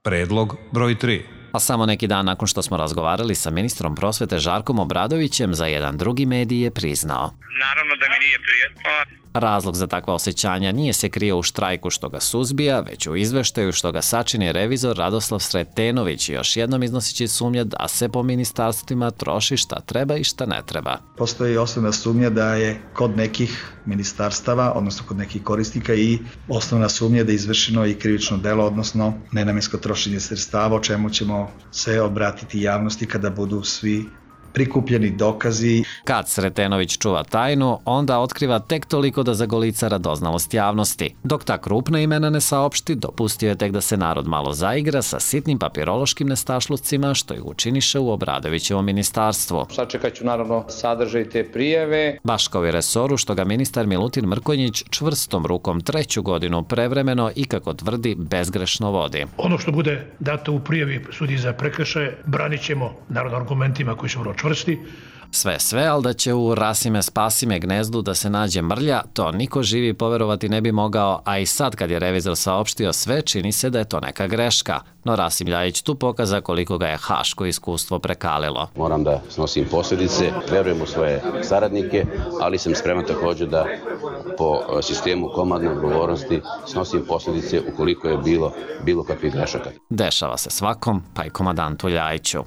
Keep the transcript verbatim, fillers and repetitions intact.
Predlog broj tri. A samo neki dan nakon što smo razgovarali sa ministrom prosvete Žarkom Obradovićem, za jedan drugi medij je priznao. Naravno da mi nije prijetno. Razlog za takva osjećanja nije se krio u štrajku što ga suzbija, već u izveštaju što ga sačini revizor Radoslav Sretenović, još jednom iznoseći sumnje da se po ministarstvima troši šta treba i šta ne treba. Postoji osnovna sumnja da je kod nekih ministarstava, odnosno kod nekih korisnika, i osnovna sumnja da je izvršeno i krivično delo, odnosno nenamensko trošenje sredstava, o čemu ćemo se obratiti javnosti kada budu svi prikupljeni dokazi. Kad Sretenović čuva tajnu, onda otkriva tek toliko da zagolica radoznalost javnosti. Dok ta krupna imena ne saopšti, dopustio je tek da se narod malo zaigra sa sitnim papirološkim nestašlucima što ih učiniše u Obradovićevom ministarstvu. Sačekat ću naravno sadržaj te prijeve. Baš kao i resoru što ga ministar Milutin Mrkonjić čvrstom rukom treću godinu prevremeno i, kako tvrdi, bezgrešno vodi. Ono što bude dato u prijavi sudiji za prekršaje branit ćemo naravno argumentima koji su vrlo čvrsti. Sve sve, ali da će u Rasime spasime gnezdu da se nađe mrlja, to niko živi poverovati ne bi mogao, a i sad kad je revizor saopštio sve, čini se da je to neka greška. No Rasim Ljajić tu pokaza koliko ga je haško iskustvo prekalilo. Moram da snosim posljedice, verujem u svoje saradnike, ali sam spreman također da po sistemu komandne odgovornosti snosim posljedice ukoliko je bilo bilo kakvih grešaka. Dešava se svakom, pa i komandantu Ljajiću.